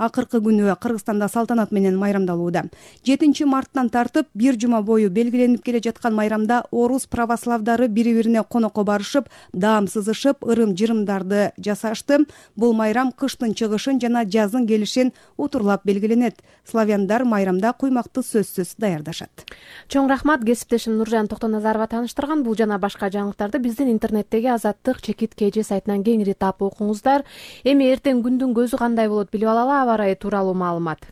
акыркы күнү Кыргызстанда салтанат менен майрамдалууда. 7 марттан тартып 1 жума бою белгиленип келе жаткан майрамда орус православдары бири-бирине конокко барышып, даам сызышып, ырым-жырымдарды жасашты. Бул майрам кыштын чыгышын жана жаздын келишин утурлап белгиленет. Славяндар майрамда куймакты сөзсүз даярдашат. Чоң рахмат, кесиптешим Нуржан Токтоназарова таныштырган. Бул жана башка жаңылыктарды биздин интернеттеги Азаттык чекит КЖ сайтынан кеңири таап окуңуздар. Эми эртең күндүн көзү кандай болот билип алалы. Аба ырайы тууралуу маалымат.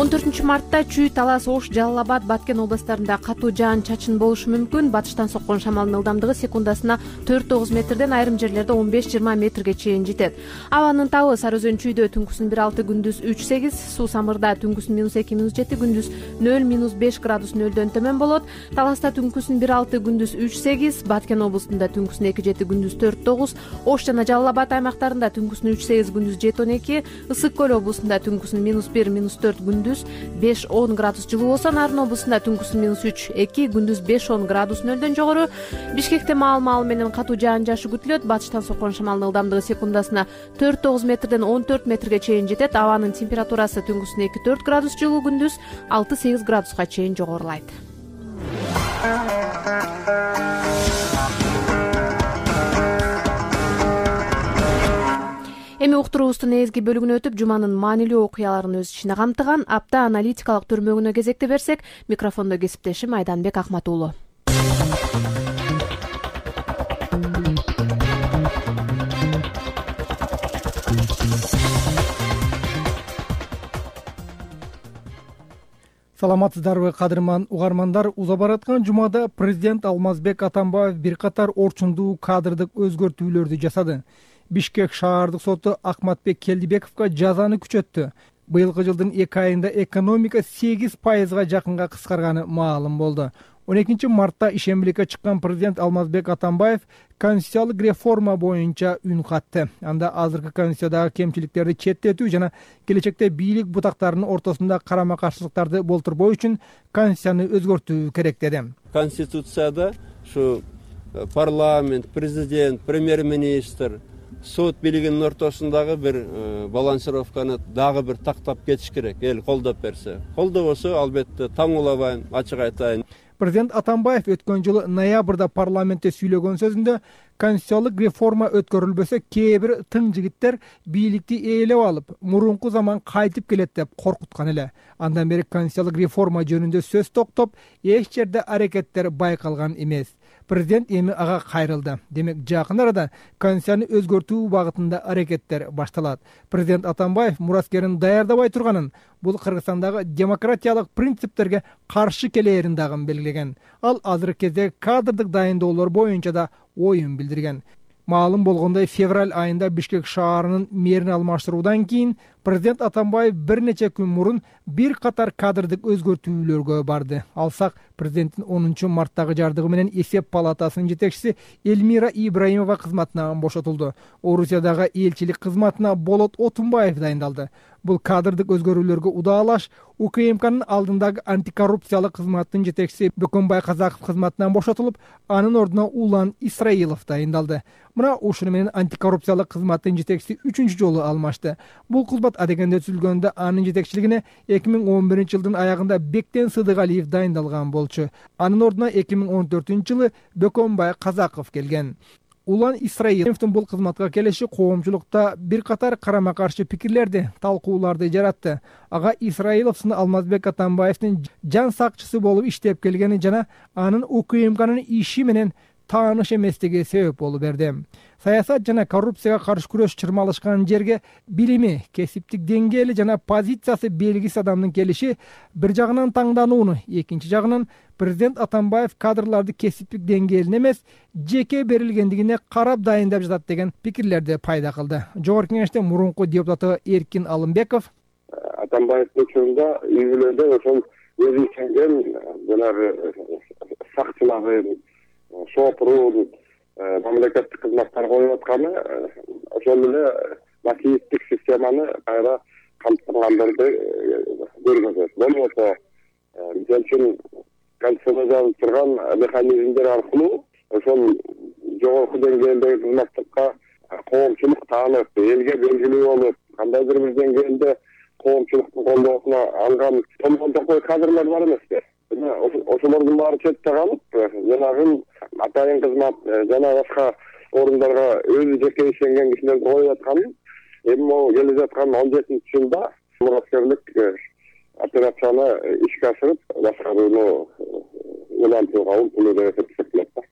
14 мартта Чүй, Талас, Ош, Жалал Абад, Баткен областарында катуу жаан-чачын болушу мүмкүн. Батыштан соккон шамалдын ылдамдыгы секундасына 4-9 метрден, айрым жерлерде 15-20 метрге чейин жетет. Абанын табы Сары Өзөн Чүйдө түнкүсүн 1-6, күндүз 3-8, Суу Самырда түнкүсүн -2, -7, күндүз 0-5 градус нөлдөн төмөн болот. Таласта түнкүсүн 1-6, күндүз 3-8, Баткен областында түнкүсүн 2-7, күндүз 4-9, Ош жана Жалал Абад аймактарында түнкүсүн 3-8, күндүз 7-12, Ысык көл областында түнкүсүн -1, -4, күндүз 5-10 градус жылуу болсо, Нарын областында түнкүсүн -3-2, күндүз 5-10 градус нөлдөн жогору. Бишкекте маал менен катуу жаан-жашы күтүлөт. Батыштан соккон шамалдын ылдамдыгы секундасына 4-9 метрден 14 метрге чейин жетет. Абанын температурасы түнкүсүн 2-4 градус жылуу, күндүз 6-8 градуска чейин жогорулайт. Эми уктуруубуздун эзги бөлүгүнө өтүп, жуманын маанилүү окуяларын өз ичине камтыган апта аналитикалык төрмөгүнө кезекте берсек, микрофондо кесиптешим Айданбек Акматуулу. Саламатсыздарбы, кадырман угармандар? Уза бараткан жумада президент Алмазбек Атамбаев бир катар орчундуу кадрдык өзгөртүүлөрдү жасады. Бишкек шаардык соту Акматбек Келдибековго жазаны күчөттү. Быйылкы жылдын 2 айында экономика 8% жакынга кыскарганы маалым болду. 12 мартта ишембиликке чыккан президент Алмазбек Атамбаев конституциялык реформа боюнча үн катты. Анда азыркы конституциядагы кемчиликтерди четтетүү жана келечекте бийлик бутактарынын ортосунда карама-каршылыктарды болтурбоо үчүн конституцияны өзгөртүү керек деди. Конституцияда ушу парламент, президент, премьер-министр, сот бийлигинин ортосундагы бир балансировканы дагы бир тактап кетиш керек. Эл колдоп берсе. Колдобосо, албетте, таң улабайм, ачык айтайын. Президент Атамбаев өткөн жылы ноябрда парламентте сүйлөгөн сөзүндө конституциялык реформа өткөрүлбөсө кээ бир тың жигиттер бийликти ээлеп алып, мурунку заман кайтып келет деп коркуткан эле. Андан бери конституциялык реформа жөнүндө сөз токтоп, эч жерде аракеттер байкалган эмес. Президент эми ага кайрылды. Демек, жакын арада конституцияны өзгөртүү багытында аракеттер башталат. Президент Атамбаев мураскерин даярдабай турганын, бул Кыргызстандагы демократиялык принциптерге каршы келээрин дагы белгилеген. Ал азыркы кезде кадрдык дайындоолор боюнча да оюн билдирген. Маалым болгондой, февраль айында Бишкек шаарынын мэрин алмаштыруудан кийин президент Атамбаев бир нече күн мурун бир катар кадрдык өзгөртүүлөргө барды. Алсак, президенттин 10 марттагы жардыгы менен эсеп палатасынын жетекчиси Эльмира Ибраимова кызматынан бошотулду. Орусиядагы элчилик кызматына Болот Отунбаев дайындалды. Бул кадрдык өзгөрүүлөргө удаалаш УКМКнын алдындагы антикоррупциялык кызматтын жетекчиси Бөкөнбай Казаков кызматынан бошотулуп, анын ордуна Улан Исраилов дайындалды. Мына ушуну менен антикоррупциялык кызматтын жетекчиси 3-чү жолу алмашты. Бул кызмат адегенде түзүлгөндө анын жетекчилигине 2011 жылдын аягында Бектен Сыдыгалиев дайындалган болчу. Анын ордуна 2014 жылы Бөкөнбай Казаков келген. Улан Исраиловдун бул кызматка келиши коомчулукта бир катар карама-каршы пикирлерди, талкууларды жаратты. Ага Исраилов сыны Алмазбек Атамбаевдин жан сакчысы болуп иштеп келгени жана анын УКМКнын иши менен тааныш эместиги себеп болуп берди. Саясат жана коррупцияга каршы күрөш чырмалышкан жерге билими, кесиптик деңгээли жана позициясы белгисиз адамдын келиши бир жагынан таңданууну, экинчи жагынан президент Атамбаев кадрларды кесиптик деңгээлине эмес, жеке берилгендигине карап дайындап жатат деген пикирлерди пайда кылды. Жогорку кеңештин мурунку депутаты Эркин Алымбеков Атамбаевдин учурунда үй-бүлөдө ошол өзү ишенген жанагы сакчылардын, шопурун, мамлекеттик кызматтар коюп атканы ошол эле массивдик системаны кайра камтыгандарды көргөзөт. Болбосо, мисалы үчүн конституцияда жазылып турган механизмдер аркылуу ошол жогорку деңгээлдеги кызматтыкка коомчулук таанып, элге белгилүү болуп, кандайдыр бир деңгээлде коомчулуктун колдоосуна алган томгон токой кадрлар бар эмеспи? Ошолордун баары четте калып, жанагы атайын кызмат жана башка орундарга өзү жеке ишенген кишилерди коюп атканын, эми могу келе жаткан 17-жылда мураскерлик операцияны ишке ашырып, башкарууну улантууга умтулуу деп эсептелет да.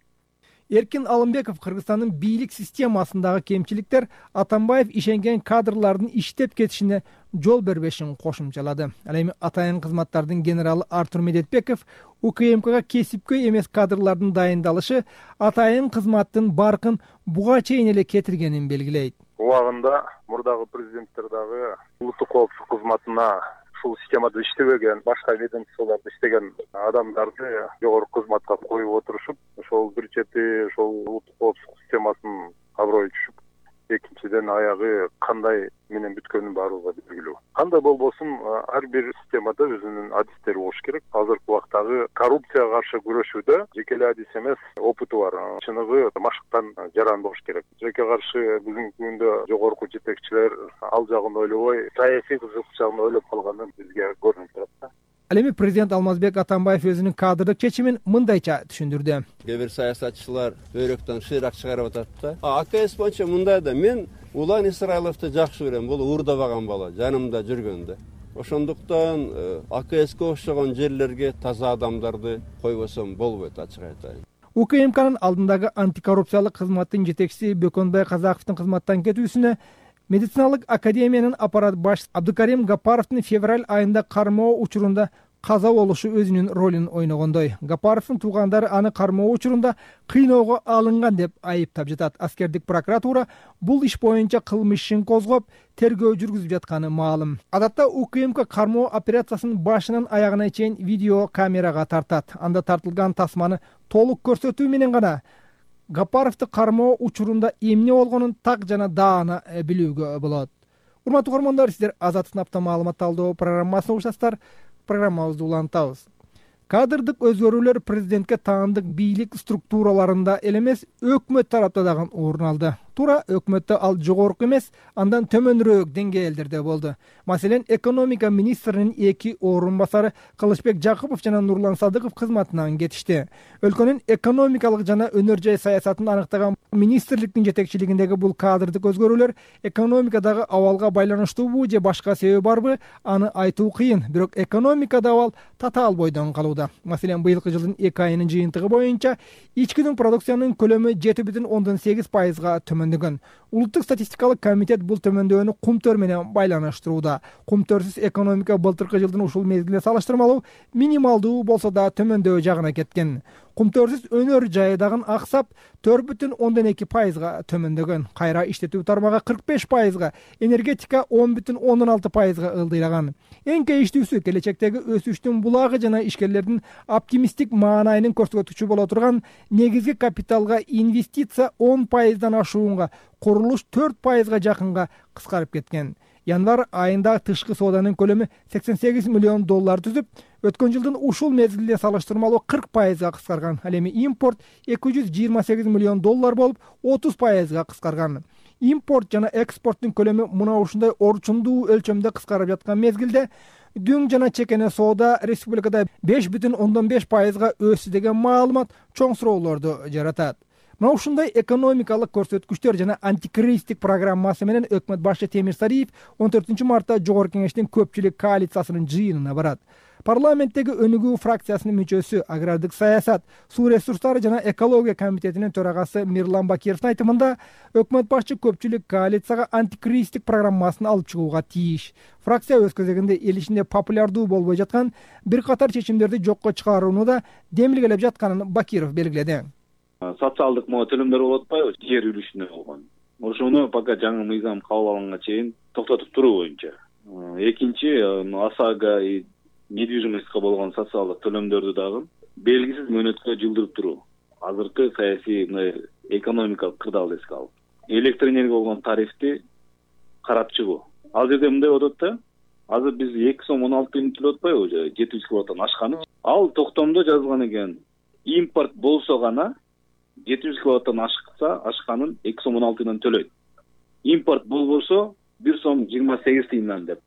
Эркин Алымбеков Кыргызстандын бийлик системасындагы кемчиликтер Атамбаев ишенген кадрлардын иштеп кетишине жол бербешин кошумчалады. Ал эми атайын кызматтардын генералы Артур Медетбеков УКМКга кесипкөй эмес кадрлардын дайындалышы атайын кызматтын баркын буга чейин эле кетиргенин белгилейт. Убагында мурдагы президенттер дагы улуттук коопсуздук кызматына ушул системада иштебеген, башка ведомстволордо иштеген адамдарды жогорку кызматка коюп отурушуп, ошол бир чети ошол улуттук коопсуздук системасынын аброю түшүп, экинчиден аягы кандай менен бүткөнүн баардыгы белгилүү. Кандай болбосун, ар бир системада өзүнүн адистери болуш керек. Азыркы убактагы коррупцияга каршы күрөшүүдө жеке эле адис эмес, опыту бар, чыныгы машыктан жаран болуш керек. Жеке каршы бүгүнкү күндө жогорку жетекчилер ал жагын ойлобой, саясий кызыкчылыгын ойлоп калганы бизге көрүнүп турат да. Ал эми президент Алмазбек Атамбаев өзүнүн кадрдык чечимин мындайча түшүндүрдү. Кээ бир саясатчылар өйрөктөн шыйрак чыгарып атат да. АКС боюнча мындай да, мен Улан Исраиловду жакшы көрөм, бул уурдабаган бала, жанымда жүргөн да. Ошондуктан АКСке окшогон жерлерге таза адамдарды койбосом болбойт, ачык айтайын. УКМКнын алдындагы антикоррупциялык кызматтын жетекчиси Бөкөнбай Казаковдун кызматтан кетүүсүнө медициналык академиянын аппарат башчысы Абдыкарим Гапаровдун февраль айында кармоо учурунда каза болушу өзүнүн ролун ойногондой. Гапаровдун туугандары аны кармоо учурунда кыйноого алынган деп айыптап жатат. Аскердик прокуратура бул иш боюнча кылмыш ишин козгоп, тергөө жүргүзүп жатканы маалым. Адатта УКМК кармоо операциясын башынан аягына чейин видео камерага тартат. Анда тартылган тасманы толук көрсөтүү менен гана Гапаровду кармоо учурунда эмне болгонун так жана даана билүүгө болот. Урматтуу көрөрмандар, сиздер Азаттык апта маалымат талдоо программасын угушасыздар. Программабызды улантабыз. Кадрдык өзгөрүүлөр президентке таандык бийлик структураларында эле эмес, өкмөт тарапта дагы орун алды. Туура өкмөттө ал жогорку эмес, андан төмөнүрөөк деңгээлдерде болду. Маселен, экономика министринин 2 орун басары Кылычбек Жакупов жана Нурлан Садыков кызматынан кетишти. Өлкөнүн экономикалык жана өнөр жай саясатын аныктаган министрликтин жетекчилигиндеги бул кадрдык өзгөрүүлөр экономикадагы абалга байланыштуубу же башка себеби барбы, аны айтуу кыйын. Бирок экономикада абал татаал бойдон калууда. Маселен, быйылкы жылдын 2 айынын жыйынтыгы боюнча ички продукциянын көлөмү 7,8%га төмөн. Улуттук статистикалык комитет бул төмөндөөнү кумтөр менен байланыштырууда. Кумтөрсүз экономика былтыркы жылдын ушул мезгилине салыштырмалуу минималдуу болсо да төмөндөө жагына кеткен. Кумтөрсүз өнөр жайы дагы аксап 4,2%га төмөндөгөн. Кайра иштетүү тармагы 45%га, энергетика 10,16%га ылдыйраган. Эң кейиштүүсү келечектеги өсүштүн булагы жана ишкерлердин оптимисттик маанайынын көрсөтүүчү боло турган негизги капиталга инвестиция 10%дан ашуунга, курулуш 4%га жакынга кыскарып кеткен. Январь айында тышкы сооданын көлөмү $88 миллион түзүп, өткөн жылдын ушул мезгилине салыштырмалуу 40%га кыскарган. Ал эми импорт $228 миллион болуп, 30%га кыскарган. Импорт жана экспорттун көлөмү мына ушундай орчундуу өлчөмдө кыскарып жаткан мезгилде дүң жана чекене соода республикада 5,5%га өссү деген маалымат чоң суроолорду жаратат. Мына ушундай экономикалык көрсөткүчтөр жана антикризистик программасы менен өкмөт башчы Темир Сариев 14 мартта Жогорку Кеңештин көпчүлүк коалициясынын жыйынына барат. Парламенттеги өнүгүү фракциясынын мүчөсү, агрардык саясат, суу ресурстары жана экология комитетинин төрагасы Мирлан Бакировдун айтымында, өкмөт башчы көпчүлүк коалицияга антикризистик программасын алып чыгууга тийиш. Фракция өз кезегинде эл ичинде популярдуу болбой жаткан бир катар чечимдерди жокко чыгарууну да демилгелеп жатканын Бакиров белгиледи. Социалдык төлөмдөр болуп атпайбы, жер үлүшүнө болгон. Ошону пока жаңы мыйзам кабыл алынганга чейин токтотуп туруу боюнча. Экинчи, ОСАГО недвижимостька болгон социалдык төлөмдөрдү дагы белгисиз мөөнөткө жылдырып туруу. Азыркы саясий экономикалык кырдаалды эске алып, электр энергия болгон тарифти карап чыгуу. Ал жерде мындай болот да, азыр биз 2,16 төлөп атпайбы, 700 киловаттан ашканы. Ал токтомдо жазылган экен. Импорт болсо гана 700 киловаттан ашканын 2,16 төлөйт. импорт болбосо 1 сом 28 тыйындан деп.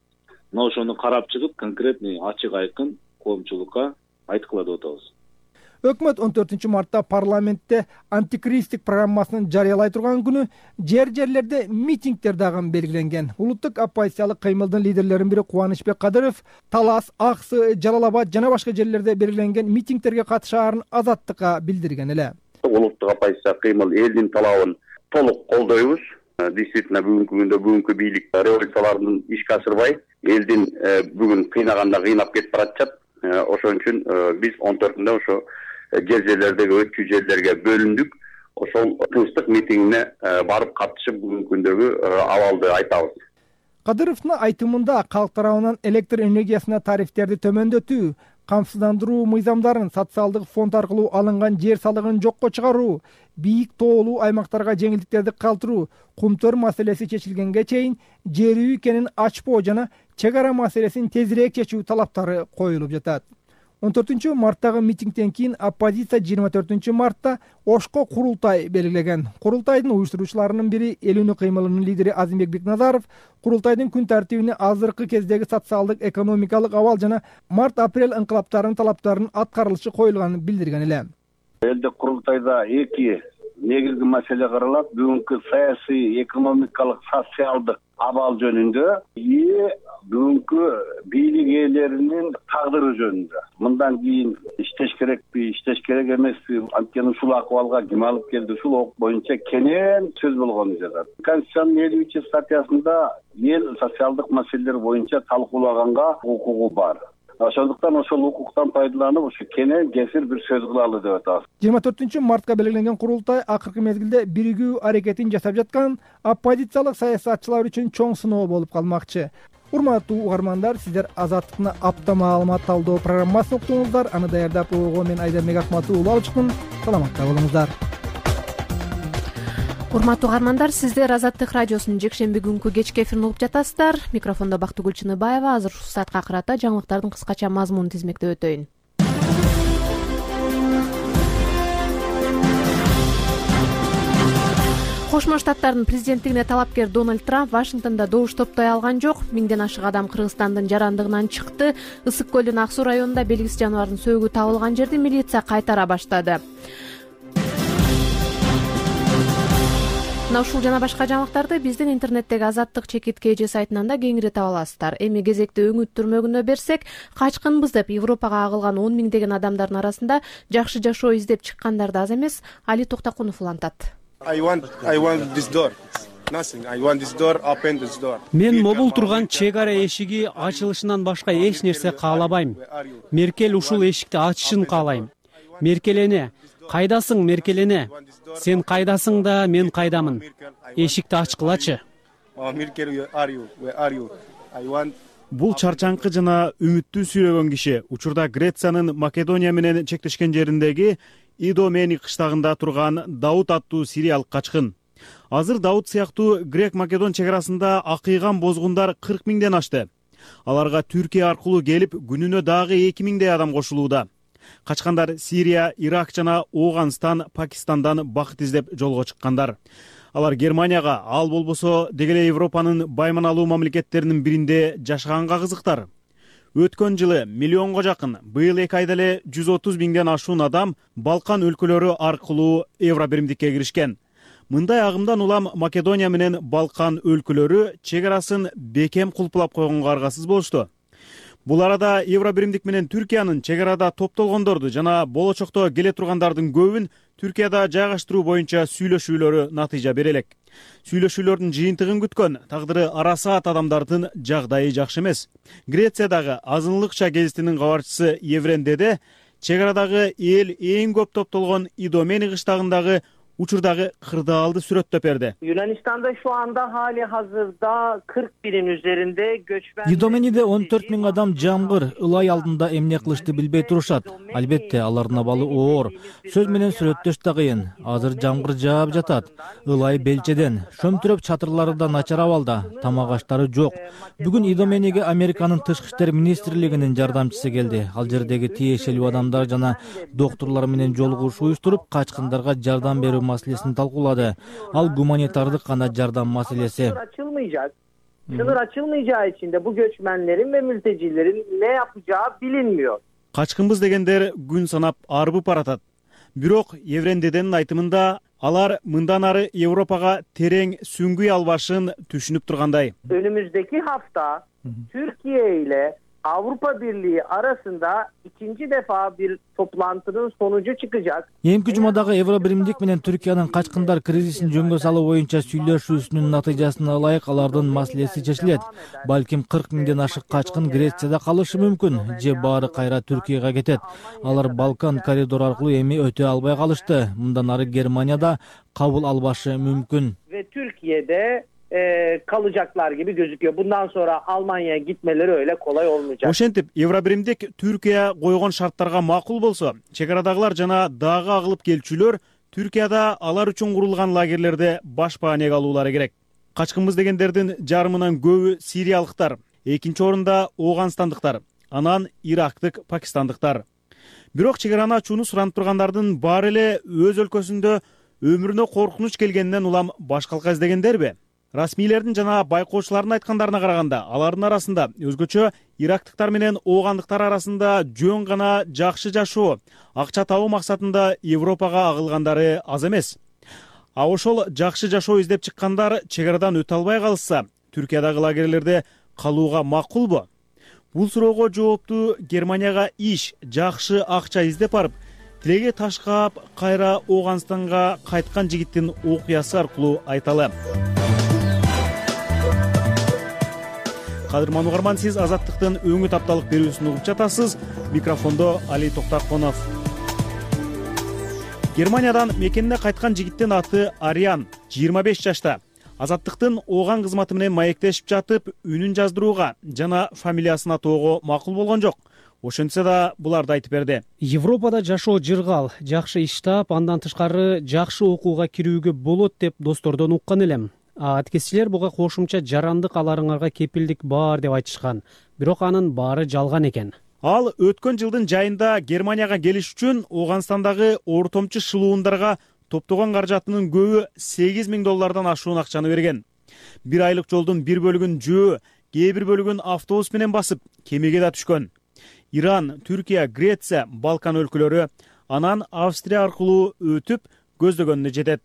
Мына ошону карап чыгып, конкретный ачык айкын коомчулукка айткыла деп атабыз. Өкмөт 14-мартта парламентте антикризистик программасын жарыялай турган күнү жерлерде митингдер дагы белгиленген. Улуттук оппозициялык кыймылдын лидерлеринин бири Кубанычбек Кадыров Талас, Аксы, Жалал-Абад жана башка жерлерде белгиленген митингдерге катышаарын Азаттыкка билдирген эле. Улуттук оппозиция кыймыл элдин талабын толук колдойбуз. Действительно бүгүнкү күндө бүгүнкү бийлик революциялардын ишке ашырбай, элдин бүгүн кыйнаганда кыйнап кетип баратат. Ошон үчүн биз 14-нде ошо жерлердеги өткү жерлерге бөлүндүк. Ошол тынчтык митингине барып катышып бүгүнкү күндөгү абалды айтабыз. Кадыровдун айтымында калк тарабынан электр энергиясына тарифтерди төмөндөтүү, камсыздандыруу мыйзамдарын социалдык фонд аркылуу алынган жер салыгын жокко чыгаруу, бийик тоолуу аймактарга жеңилдиктерди калтыруу, кумтөр маселеси чечилгенге чейин жер үй экенин ачпоо жана чек ара маселесин тезирээк чечүү талаптары коюлуп жатат. 14-марттагы митингден кийин оппозиция 24-мартта Ошко курултай белгилеген. Курултайдын уюштуруучуларынын бири Эл үнү кыймылынын лидери Азимбек Бекназаров курултайдын күн тартибине азыркы кездеги социалдык, экономикалык абал жана март-апрель ыңкылаптарынын талаптарынын аткарылышы коюлганын билдирген эле. Элде курултайда эки негизги маселе каралат. Бүгүнкү саясий, экономикалык, социалдык абал жөнүндө бүгүнкү бийлик ээлеринин тагдыры жөнүндө. Мындан кийин иштеш керекпи, иштеш керек эмеспи, анткени ушул акыбалга ким алып келди, ушул ок боюнча кенен сөз болгону жатат. Конституциянын 50-статьясында эл социалдык маселелер боюнча талкуулаганга укугу бар. Ошондуктан ошол укуктан пайдаланып, ушу кенен кесир бир сөз кылалы деп атабыз. 24-мартка белгиленген курултай акыркы мезгилде биригүү аракетин жасап жаткан оппозициялык саясатчылар үчүн чоң сыноо болуп калмакчы. Урматтуу угармандар, сиздер Азаттыктын апта маалымат талдоо программасын уктуңуздар. Аны даярдап койгон мен Айдарбек Акматов алып чыктым. Саламатта болуңуздар. Урматтуу угармандар, сиздер Азаттык радиосунун жекшемби күнкү кечки эфирин угуп жатасыздар. Микрофондо Бактыгүл Чыныбаева. Азыр ушул саатка карата жаңылыктардын кыскача мазмунун тизмектеп өтөйүн. Кошмо Штаттардын президенттигине талапкер Дональд Трамп Вашингтондо добуш топтой алган жок. Миңден ашык адам Кыргызстандын жарандыгынан чыкты. Ысык көлдүн Ак Суу районунда белгисиз жаныбардын сөөгү табылган жерди милиция кайтара баштады. Мына ушул жана башка жаңылыктарды биздин интернеттеги Азаттык /KG сайтынан да кеңири таба аласыздар. Эми кезекти өңүт түрмөгүнө берсек, качкынбыз деп Европага агылган 10 миңдеген адамдардын арасында жакшы жашоо издеп чыккандар да аз эмес. Али Токтокунов улантат. Мен мобул турган чек ара эшиги ачылышынан башка эч нерсе каалабайм. Меркель ушул эшикти ачышын каалайм. Меркелене, кайдасың Меркелене? Сен кайдасың да, мен кайдамын. Эшикти ачкылачы. Бул чарчаңкы жана үмүттүү сүйлөгөн киши учурда Грециянын Македония менен чектешкен жериндеги Идомени кыштагында турган Дауд аттуу сириялык качкын. Азыр Дауд сыяктуу грек-македон чек арасында акыйган бозгундар 40 миңден ашты. Аларга Түркия аркылуу келип, күнүнө дагы 2 миңдей адам кошулууда. Качкандар Сирия, Ирак жана Ооганстан, Пакистандан бакыт издеп жолго чыккандар. Алар Германияга, ал болбосо деги эле Европанын байманалуу мамлекеттеринин биринде жашаганга кызыктар. Өткөн жылы миллионго жакын, быйыл 2 айда эле 130 миңден ашуун адам Балкан өлкөлөрү аркылуу Евробиримдикке киришкен. Мындай агымдан улам Македония менен Балкан өлкөлөрү чек арасын бекем кулпулап койгонго аргасыз болушту. Бул арада Евробиримдик менен Түркиянын чек арада топтолгондорду жана болочокто келе тургандардын көбүн Түркияда жайгаштыруу боюнча сүйлөшүүлөрү натыйжа бере элек. Сүйлөшүүлөрдүн жыйынтыгын күткөн, тагдыры арасаат адамдардын жагдайы жакшы эмес. Грециядагы азынлыкча гезитинин кабарчысы Еврен Деде чек арадагы эл эң көп топтолгон Идомени кыштагындагы учурдагы кырдаалды сүрөттөп берди. Yunanistan'da şu anda hali hazırda 40 binin üzerinde göçmen... Идомениде 14 миң адам жамгыр, ылай алдында эмне кылышты билбей турушат. Албетте, алардын абалы оор. Сөз менен сүрөттөш да кыйын. Азыр жамгыр жаап жатат. Ылай белчеден, шөмтүрөп чатырлары да начар абалда, тамак аштары жок. Бүгүн Идомениге Американын тышкы иштер министрлигинин жардамчысы келди. Ал жердеги тиешелүү адамдар жана доктурлар менен жолугушуу уюштуруп, качкындарга жардам берүү маселесин талкуулады. Ал гуманитардык гана жардам маселеси. Sınır açılmayacağı için de bu göçmenlerin ve mültecilerin ne yapacağı bilinmiyor. Качкынбыз дегендер күн санап арбып баратат. Бирок Еврендеденин айтымында алар мындан ары Европага терең сүңгүй албашын түшүнүп тургандай. Önümüzdeki hafta Türkiye ile Avrupa Birliği arasında ikinci defa bir toplantının sonucu çıkacak. Эмки жумадагы Евро биримдик менен Түркиянын качкындар кризисин жөнгө салуу боюнча сүйлөшүүсүнүн натыйжасына ылайык алардын маселеси чечилет. Балким 40 миңден ашык качкын Грецияда калышы мүмкүн, же баары кайра Түркияга кетет. Алар Балкан коридору аркылуу эми өтө албай калышты. Мындан ары Германияда кабыл албашы мүмкүн. Ve Türkiye'de kalacaklar gibi gözüküyor. Bundan sonra Almanya'ya gitmeleri öyle kolay olmayacak. Ошентип, Евробиримдик Түркия койгон шарттарга макул болсо, чек арадагылар жана дагы агылып келчүлөр Түркияда алар үчүн курулган лагерлерде баш баанеге алуулары керек. Качкынбыз дегендердин жарымынан көбү сириялыктар, экинчи орунда Ооганстандыктар, анан ирактык, пакистандыктар. Бирок чек араны ачууну суранып тургандардын баары эле өз өлкөсүндө өмүрүнө коркунуч келгенден улам башкалка издегендерби? Расмийлердин жана байкоочулардын айткандарына караганда, алардын арасында өзгөчө ирактыктар менен оогандыктар арасында жөн гана жакшы жашоо, акча табуу максатында Европага агылгандары аз эмес. А ошол жакшы жашоо издеп чыккандар чек арадан өтө албай калышса, Түркиядагы лагерлерде калууга макулбу? Бул суроого жоопту Германияга иш, жакшы акча издеп барып, тилеге таш каап кайра Ооганстанга кайткан жигиттин окуясы аркылуу айталы. Кадырман угарман, сиз Азаттыктын өңү тапталык берүүсүн угуп жатасыз. Микрофондо Али Токтаконов. Германиядан мекенине кайткан жигиттин аты Ариан, 25 жашта. Азаттыктын ооган кызматы менен маектешип жатып, үнүн жаздырууга жана фамилиясын атоого макул болгон жок. Ошентсе да буларды айтып берди. Европада жашоо жыргал, жакшы иш таап, андан тышкары жакшы окууга кирүүгө болот деп достордон уккан элем. Аткезчилер буга кошумча жарандык аларыңарга кепилдик бар деп айтышкан. Бирок анын баары жалган экен. Ал өткөн жылдын жайында Германияга келиш үчүн Ооганстандагы ортомчу шылуундарга топтогон каражатынын көбү $8,000 ашуун акчаны берген. Бир айлык жолдун бир бөлүгүн жөө, кээ бир бөлүгүн автобус менен басып, кемеге да түшкөн. Иран, Түркия, Греция, Балкан өлкөлөрү, анан Австрия аркылуу өтүп көздөгөнүнө жетет.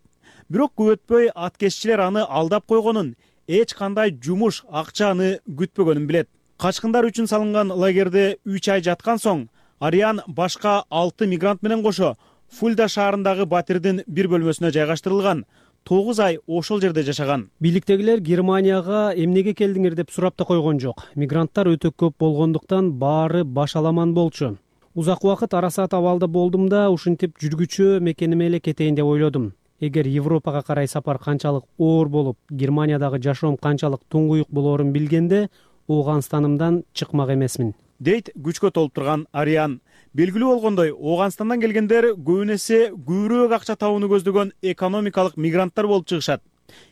Бирок көп өтпөй аткезчилер аны алдап койгонун, эч кандай жумуш, акчаны күтпөгөнүн билет. Качкындар үчүн салынган лагерде 3 ай жаткан соң, Ариан башка 6 мигрант менен кошо Фульда шаарындагы батирдин бир бөлмөсүнө жайгаштырылган. 9 ай ошол жерде жашаган. Бийликтегилер Германияга эмнеге келдиңер деп сурап да койгон жок. Мигранттар өтө көп болгондуктан баары баш аламан болчу. Узак убакыт арасат абалда болдум да, ушинтип жүргүчү мекениме эле кетейин деп ойлодум. Эгер Европага карай сапар канчалык оор болуп, Германиядагы жашоом канчалык туңгуюк болоорун билгенде, Ооганстанымдан чыкмак эмесмин, дейт күчкө толуп турган Ариан. Белгилүү болгондой, Ооганстандан келгендер көбүнесе көбүрөөк акча табууну көздөгөн экономикалык мигранттар болуп чыгышат.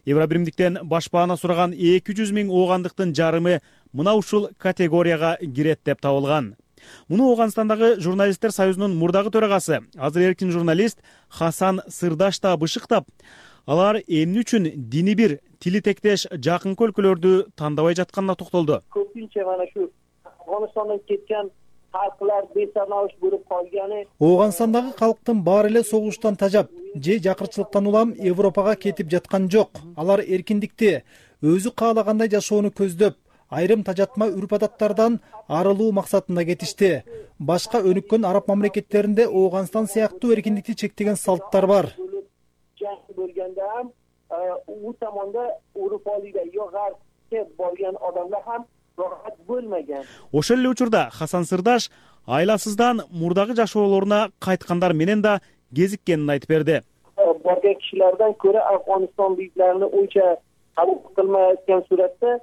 Евробиримдиктен баш баана сураган 200 миң оогандыктын жарымы мына ушул категорияга кирет деп табылган. Муну Ооганстандагы журналисттер союзунун мурдагы төрагасы, азыр эркин журналист Хасан Сырдаш да бышыктап, алар эмне үчүн дини бир, тили тектеш жакынкы өлкөлөрдү тандабай жатканына токтолду. Көпүнчө мана шу Афганистандан кеткен халыклар бесанауш болуп калганы. Ооганстандагы калктын баары эле согуштан тажап, же жакырчылыктан улам Европага кетип жаткан жок. Алар эркиндикти, өзү каалагандай жашоону көздөп, айрым тажатма үрп-адаттардан арылуу максатында кетишти. Башка өнүккөн араб мамлекеттеринде Ооганстан сыяктуу эркиндикти чектеген салттар бар. Ошол эле учурда Хасан Сырдаш айласыздан мурдагы жашоолоруна кайткандар менен да кезиккенин айтып берди. Барган кишилерден көрө Афганистан бийиклерини ойча кабыл кылмайоткан суретте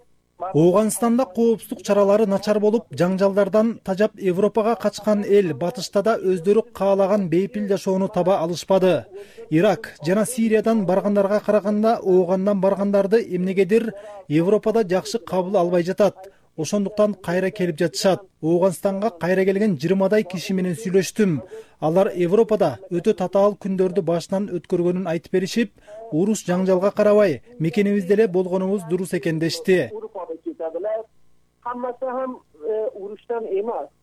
Ооганстанда коопсуздук чаралары начар болуп, жаңжалдардан тажап Европага качкан эл батышта да өздөрү каалаган бейпил жашоону таба алышпады. Ирак жана Сириядан баргандарга караганда Оогандан баргандарды эмнегедир Европада жакшы кабыл албай жатат. ошондуктан кайра келип жатышат. Ооганстанга кайра келген 20 киши менен сүйлөштүм. Алар Европада өтө татаал күндөрдү башынан өткөргөнүн айтып беришип, уруш жаңжалга карабай мекенибизде эле болгонубуз дурус экен дешти.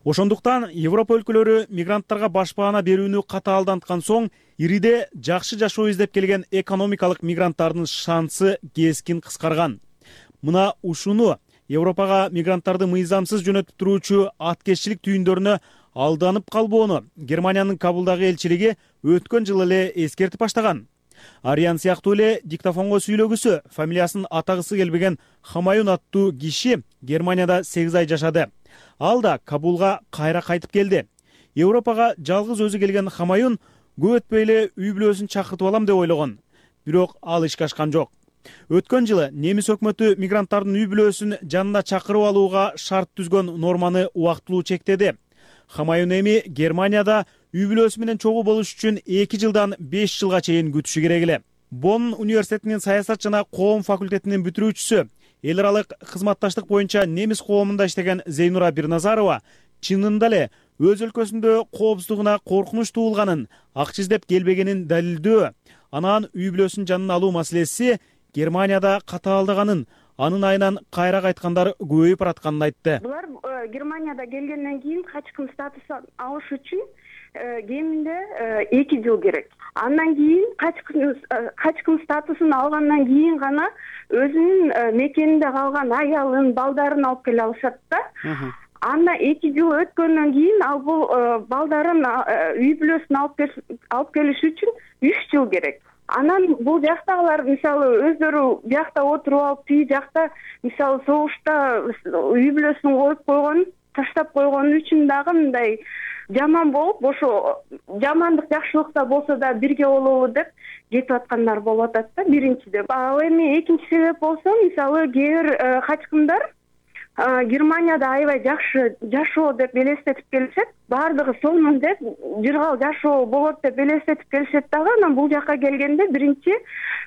Ошондуктан Европа өлкөлөрү мигранттарга башпаана берүүнү катаалданткан соң ириде жакшы жашоо издеп келген экономикалык мигранттардын шансы кескин кыскарган. Мына ушуну Европага мигранттарды мыйзамсыз жөнөтүп туруучу аткезчилик түйүндөрүнө алданып калбоону Германиянын Кабулдагы элчилиги өткөн жылы эле эскертип баштаган. Ариан сыяктуу эле диктофонго сүйлөгүсү фамилиясын атагысы келбеген Хамаюн аттуу киши Германияда 8 ай жашады. Ал да Кабулга кайра кайтып келди. Европага жалгыз өзү келген Хамаюн көп өтпөй эле үй бүлөсүн чакыртып алам деп ойлогон. Бирок ал ишке ашкан жок. Өткөн жылы немис өкмөтү мигранттардын үй бүлөсүн жанына чакырып алууга шарт түзгөн норманы убактылуу чектеди. Хамаюн эми Германияда үй бүлөсү менен чогуу болуш үчүн 2 жылдан 5 жылга чейин күтүшү керек эле. Бонн университетинин саясат жана коом факультетинин бүтүрүүчүсү, эл аралык кызматташтык боюнча немис коомунда иштеген Зейнура Бирназарова чынында эле өз өлкөсүндө коопсуздугуна коркунуч туулганын, акча издеп келбегенин далилдөө, анан үй бүлөсүн жанына алуу маселеси Германияда катаалдаганын, анын айынан кайра кайткандар көбөйүп баратканын айтты. Булар Германияда келгенден кийин качкын статусун алыш үчүн кеминде 2 жыл керек. Андан кийин качкын статусун алгандан кийин гана өзүнүн мекенинде калган аялын, балдарын алып келе алышат да. Анда 2 жыл өткөндөн кийин ал бул балдарын үй бүлөсүн алып келиш үчүн 3 жыл керек. Анан бул жактагылар мисалы өздөрү биякта отуруп алып, тиги жакта мисалы согушта үй бүлөсүн коюп койгон, таштап койгон үчүн дагы мындай жаман болуп, ошо жамандык жакшылыкта болсо да бирге болобу деп кетип аткандар болуп атат да, биринчиде. Ал эми экинчи себеп болсо, мисалы кээ бир качкындар Германияда аябай жакшы жашоо деп элестетип келишет, баардыгы сонун деп, жыргал жашоо болот деп элестетип келишет дагы, анан бул жакка келгенде биринчи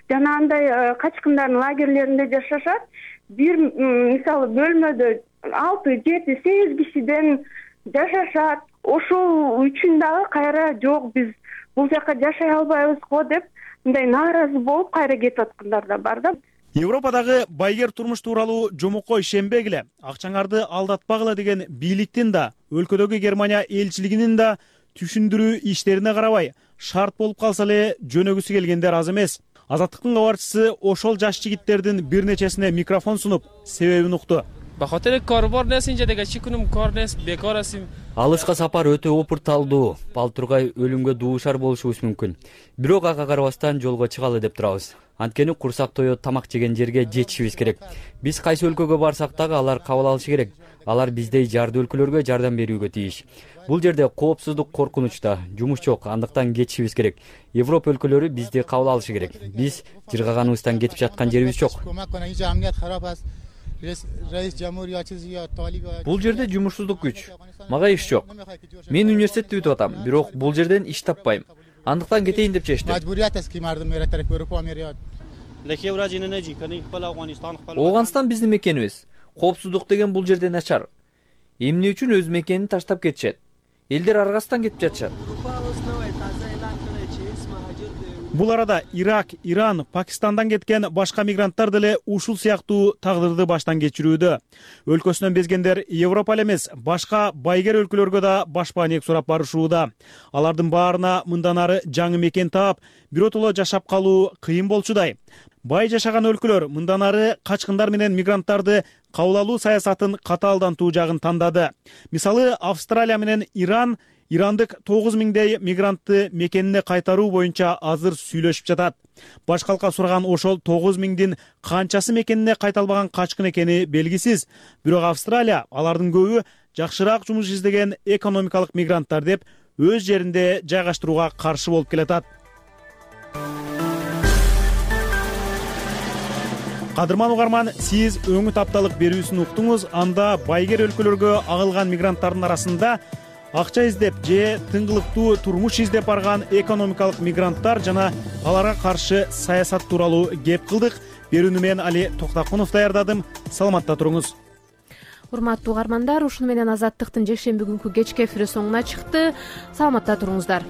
жанагындай качкындардын лагерлеринде жашашат. Бир мисалы бөлмөдө 6, 7, 8 кишиден жашашат. Ошол үчүн дагы кайра жок, биз бул жакка жашай албайбыз го деп мындай нааразы болуп кайра кетип аткандар да бар да. Европадагы байгер турмуш тууралуу жомокко ишенбегиле, акчаңарды алдатпагыла деген бийликтин да, өлкөдөгү Германия элчилигинин да түшүндүрүү иштерине карабай, шарт болуп калса эле жөнөгүсү келгендер аз эмес. Азаттыктын кабарчысы ошол жаш жигиттердин бир нечесине микрофон сунуп, себебин укту. Алышка сапар өтө опурталдуу, балтургай өлүмгө дуушар болушубуз мүмкүн. Бирок ага карабастан жолго чыгалы деп турабыз. Анткени курсак тоёт тамак жеген жерге жетишибиз керек. Биз кайсы өлкөгө барсак дагы алар кабыл алышы керек. Алар биздей жардуу өлкөлөргө жардам берүүгө тийиш. Бул жерде коопсуздук коркунучта, жумуш жок, андыктан кетишибиз керек. Европа өлкөлөрү бизди кабыл алышы керек. Биз жыргаганыбыздан кетип жаткан жерибиз жок. Бул жерде жумушсуздук күч. Мага иш жок. Мен университетти бүтүп атам, бирок бул жерден иш таппайм. Андыктан кетейин деп чечтим. Ооганстан биздин мекенибиз. Коопсуздук деген бул жерде начар. Эмне үчүн өз мекенин таштап кетишет? Элдер аргасынан кетип жатышат. Бул арада Ирак, Иран, Пакистандан кеткен башка мигранттар деле ушул сыяктуу тагдырды баштан кечирүүдө. Өлкөсүнөн безгендер Европа эле эмес, башка байгер өлкөлөргө да башпаанек сурап барышууда. Алардын баарына мындан ары жаңы мекен таап, биротоло жашап калуу кыйын болчудай. Бай жашаган өлкөлөр мындан ары качкындар менен мигранттарды кабыл алуу саясатын катаалдантуу жагын тандады. Мисалы, Австралия менен Ирандык 9000дей мигрантты мекенине кайтаруу боюнча азыр сүйлөшүп жатат. Баш калка сураган ошол 9000дин канчасы мекенине кайта албаган качкын экени белгисиз. Бирок Австралия алардын көбү жакшыраак жумуш издеген экономикалык мигранттар деп өз жеринде жайгаштырууга каршы болуп келатат. Кадырман угарман, сиз өңүт апталык берүүсүн уктуңуз. Анда байгер өлкөлөргө агылган мигранттардын арасында акча издеп же тыңгылыктуу турмуш издеп барган экономикалык мигранттар жана аларга каршы саясат тууралуу кеп кылдык. Берүүнү мен Али Токтакунов даярдадым. Саламатта туруңуз. урматтуу угармандар, ушуну менен Азаттыктын жекшемби күнкү кечки эфири соңуна чыкты. Саламатта туруңуздар.